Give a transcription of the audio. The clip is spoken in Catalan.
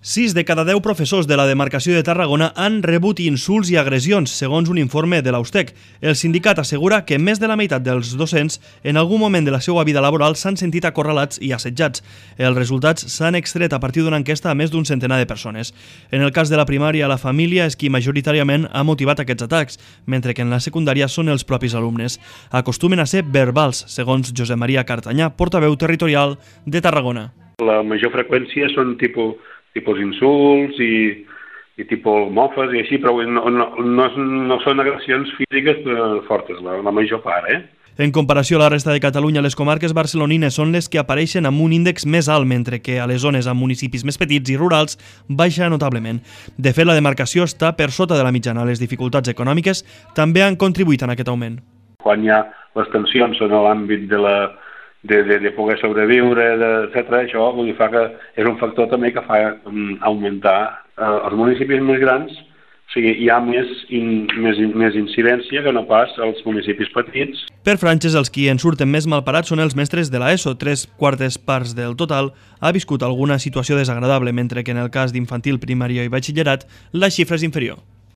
6 de cada 10 professors de la demarcació de Tarragona han rebut insults i agressions, segons un informe de l'Austec. El sindicat assegura que més de la meitat dels docents en algun moment de la seva vida laboral s'han sentit acorralats i assetjats. Els resultats s'han extret a partir d'una enquesta a més d'un centenar de persones. En el cas de la primària, la família és qui majoritàriament ha motivat aquests atacs, mentre que en la secundària són els propis alumnes. Acostumen a ser verbals, segons Josep Maria Cartanyà, portaveu territorial de Tarragona. La major freqüència són tipus insults i tipus mofes i així, però no són agressions físiques fortes, la major part, En comparació a la resta de Catalunya, les comarques barcelonines són les que apareixen amb un índex més alt, mentre que a les zones amb municipis més petits i rurals baixa notablement. De fet, la demarcació està per sota de la mitjana. Les dificultats econòmiques també han contribuït en aquest augment. Quan hi ha les tensions en l'àmbit de poder sobreviure, etc. Això fa que és un factor també que fa augmentar els municipis més grans, o sigui, hi ha més incidència que no pas als municipis petits. Per franges, els qui en surten més malparats són els mestres de l'ESO. 3/4 parts del total ha viscut alguna situació desagradable, mentre que en el cas d'infantil, primària i batxillerat la xifra és inferior.